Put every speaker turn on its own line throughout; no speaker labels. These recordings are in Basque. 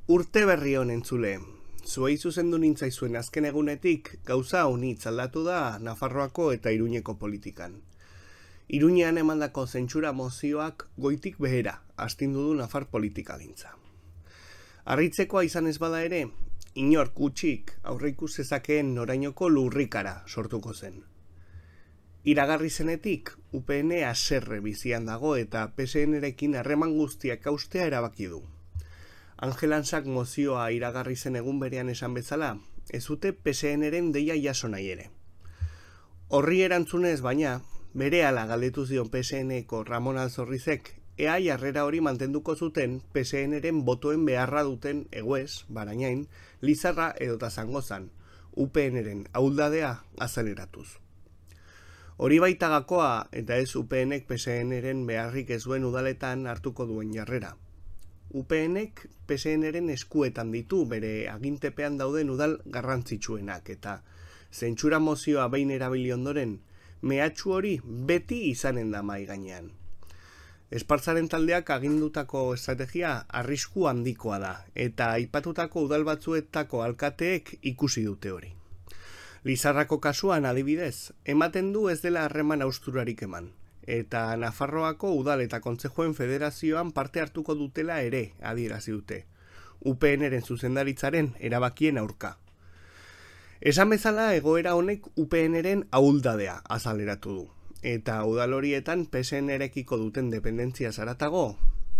Urte berri honen zule. Zuei zuzendu nintzaizuen azken egunetik gauza honitz aldatu da Nafarroako eta Iruñeko politikan. Iruñean emandako zentsura mozioak goitik behera astindu du Nafar politikagintza. Harritzekoa izan ez bada ere, inork gutxik aurreikus zezakeen norainoko lurrikara sortuko zen. Iragarri zenetik, UPN haserre bizian dago eta PSN-rekin harreman guztiak haustea erabaki du. Angelansak mozioa iragarri zen egun berean esan bezala, ez dute PSN-ren deia jaso nahi ere. Horri erantzunez baina, berehala galdetu zion PSN-eko Ramon Alzorrizek, ea jarrera hori mantenduko zuten PSN-ren botoen beharra duten eguez, Barañain, Lizarra edota Zangozan, UPN-ren ahuldadea azaleratuz. Hori baita gakoa eta ez UPN-ek PSN-ren beharrik ez duen udaletan hartuko duen jarrera. UPN-ek PSN-ren eskuetan ditu bere agintepean dauden udal garrantzitsuenak eta zentsura mozioa behin erabili ondoren, mehatxu hori beti izanen da mahai gainean. Espartzaren taldeak agindutako estrategia arrisku handikoa da eta aipatutako udal batzuetako alkateek ikusi dute hori. Lizarrako kasuan adibidez, ematen du ez dela harreman hausturarik eman, eta Nafarroako udal eta kontzejuen federazioan parte hartuko dutela ere adierazi dute, UPN-ren zuzendaritzaren erabakien aurka. Esan bezala egoera honek UPN-ren ahuldadea azaleratu du, eta udal horietan PSN-rekiko duten dependentzia zaratago,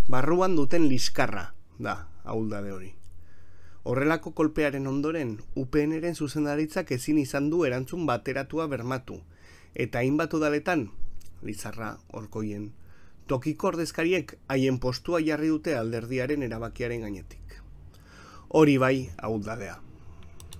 barruan duten liskarra da ahuldade hori. Horrelako kolpearen ondoren, UPN-ren zuzendaritzak ezin izan du erantzun bateratua bermatu, eta hainbat udaletan, Lizarra, Orkoien, tokiko ordezkariek haien postua jarri dute alderdiaren erabakiaren gainetik. Hori bai ahuldadea.